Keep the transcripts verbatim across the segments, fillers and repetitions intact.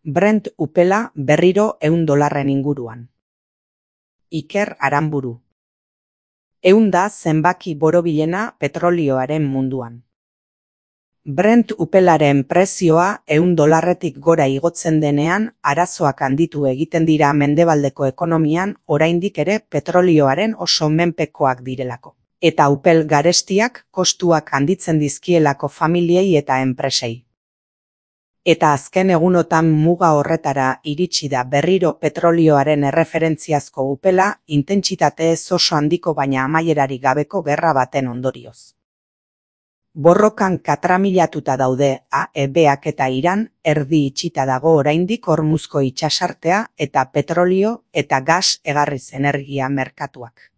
Brent upela berriro ehun dolarren inguruan. Iker Aranburu. Ehun da zenbaki borobilena petrolioaren munduan. Brent upelaren prezioa ehun dolarretik gora igotzen denean arazoak handitu egiten dira mendebaldeko ekonomian oraindik ere petrolioaren oso menpekoak direlako. Eta upel garestiak kostuak handitzen dizkielako familiei eta enpresei. Eta azken egunotan muga horretara iritsi da berriro petrolioaren erreferentziazko upela intentsitate ez oso handiko baina amaierari gabeko gerra baten ondorioz. Borrokan katramilatuta daude A E Bak eta Iran erdi itxita dago oraindik Hormuzko itsasartea eta petrolio eta gas egarriz energia merkatuak.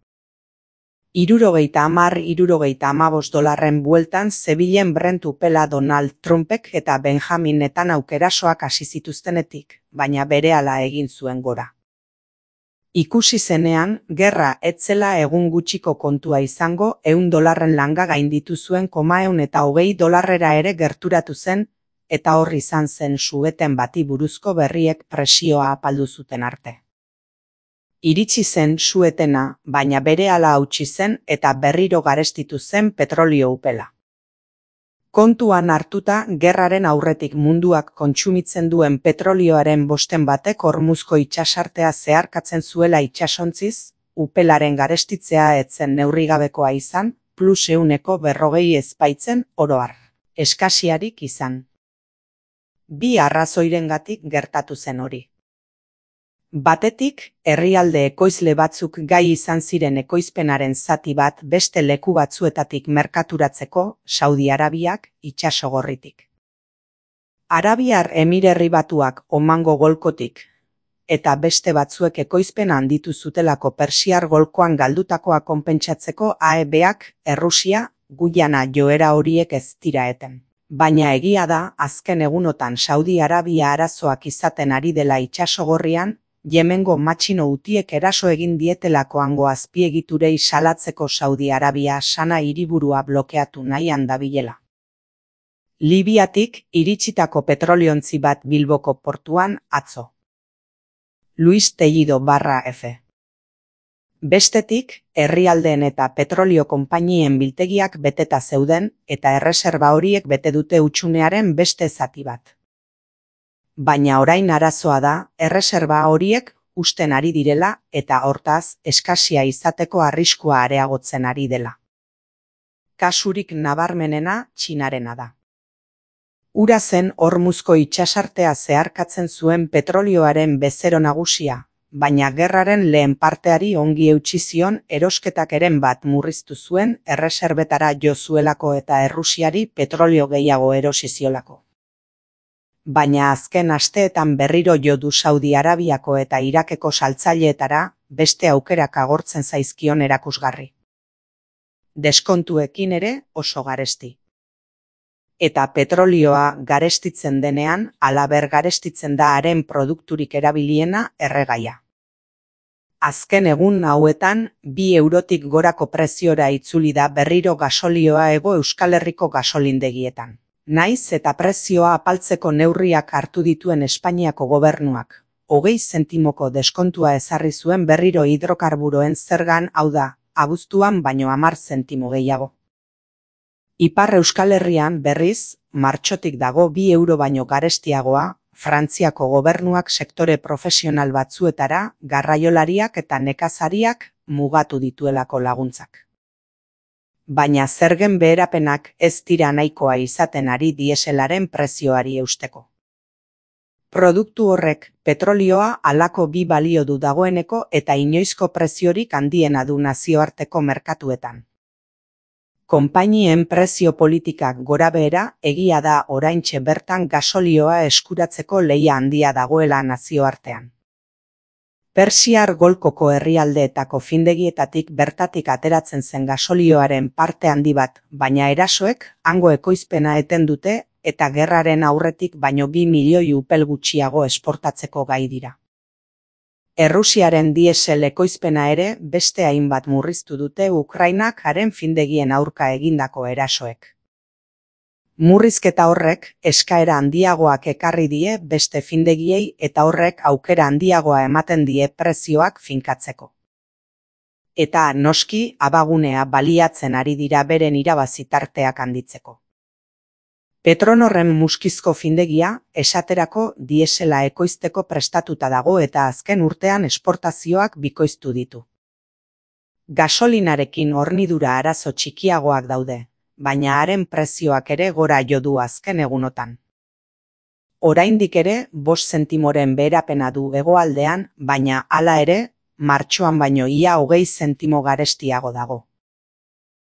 Hirurogeita hamar hirurogeita hamabost dolarren bueltan zebilen Brent upela Donald Trumpek eta Benjamin Netanyahu erasoak hasi zituztenetik, baina berehala egin zuen gora. Ikusi zenean, gerra ez zela egun gutxiko kontua izango ehun dolarren langa gainditu zuen koma ehun eta hogei dolarrera ere gerturatu zen, eta hor izan zen su-eten bati buruzko berriek presioa apaldu zuten arte. Iritsi zen su-etena, baina berehala hautsi zen eta berriro garestitu zen petrolio upela. Kontuan hartuta, gerraren aurretik munduak kontsumitzen duen petrolioaren bosten batek Hormuzko itsasartea zeharkatzen zuela itsasontziz, upelaren garestitzea ez zen neurrigabekoa izan, plus ehuneko berrogei ez baitzen oro har. Eskasiarik izan. Bi arrazoirengatik gertatu zen hori. Batetik, herrialde ekoizle batzuk gai izan ziren ekoizpenaren zati bat beste leku batzuetatik merkaturatzeko Saudi Arabiak itsasogorritik. Arabiar Emirerri Batuak Omango golkotik, eta beste batzuek ekoizpen handitu zutelako Persiar golkoan galdutakoa konpentsatzeko A E Bak Errusia, Guyana joera horiek ez dira eten. Baina egia da, azken egunotan Saudi Arabia arazoak izaten ari dela itsasogorrian, Yemengo matxino utiek eraso egin dietelako hango azpiegiturei salatzeko Saudi Arabia sana hiriburua blokeatu nahian dabilela. Libiatik iritsitako petroliontzi bat Bilboko portuan atzo. Luis Tellido barra F. Bestetik, herrialdeen eta petrolio konpainien biltegiak beteta zeuden eta erreserba horiek bete dute hutsunearen beste zati bat. Baina orain arazoa da, erreserba horiek usten ari direla eta hortaz eskasia izateko arriskua areagotzen ari dela. Kasurik nabarmenena Txinarena da. Ura zen Hormuzko itsasartea zeharkatzen zuen petrolioaren bezero nagusia, baina gerraren lehen parteari ongi eutsi zion erosketak eren bat murriztu zuen erreserbetara jo zuelako eta Errusiari petrolio gehiago erosi ziolako. Baina azken asteetan berriro jo du Saudi Arabiako eta Irakeko saltzaileetara beste aukerak agortzen zaizkion erakusgarri. Deskontuekin ere oso garesti. Eta petrolioa garestitzen denean, halaber garestitzen da haren produkturik erabiliena erregaia. Azken egun hauetan, bi eurotik gorako preziora itzuli da berriro gasolioa Hego Euskal Herriko gasolindegietan. Naiz eta prezioa apaltzeko neurriak hartu dituen Espainiako gobernuak, hogei zentimoko deskontua ezarri zuen berriro hidrokarburoen zergan, hau da, abuztuan baino hamar zentimo gehiago. Ipar Euskal Herrian berriz, martxotik dago bi euro baino garestiagoa, Frantziako gobernuak sektore profesional batzuetara, garraiolariak eta nekazariak mugatu dituelako laguntzak. Baina zergen beherapenak ez dira nahikoa izaten ari dieselaren prezioari eusteko. Produktu horrek, petrolioa halako bi balio du dagoeneko eta inoizko preziorik handiena du nazioarteko merkatuetan. Konpainien prezio politikak gorabehera egia da oraintxe bertan gasolioa eskuratzeko lehia handia dagoela nazioartean. Persiar golkoko herrialdeetako findegietatik bertatik ateratzen zen gasolioaren parte handi bat, baina erasoek hango ekoizpena eten dute eta gerraren aurretik baino bi milioi upel gutxiago esportatzeko gai dira. Errusiaren diesel ekoizpena ere beste hainbat murriztu dute Ukrainak haren findegien aurka egindako erasoek. Murrizketa horrek eskaera handiagoak ekarri die beste findegiei eta horrek aukera handiagoa ematen die prezioak finkatzeko. Eta noski abagunea baliatzen ari dira beren irabazi tarteak handitzeko. Petronorren muskizko findegia esaterako diesela ekoizteko prestatuta dago eta azken urtean esportazioak bikoiztu ditu. Gasolinarekin hornidura arazo txikiagoak daude, baina haren prezioak ere gora jo du azken egunotan. Oraindik ere bost zentimoren beherapena du hegoaldean, baina hala ere, martxoan baino ia hogei zentimo garestiago dago.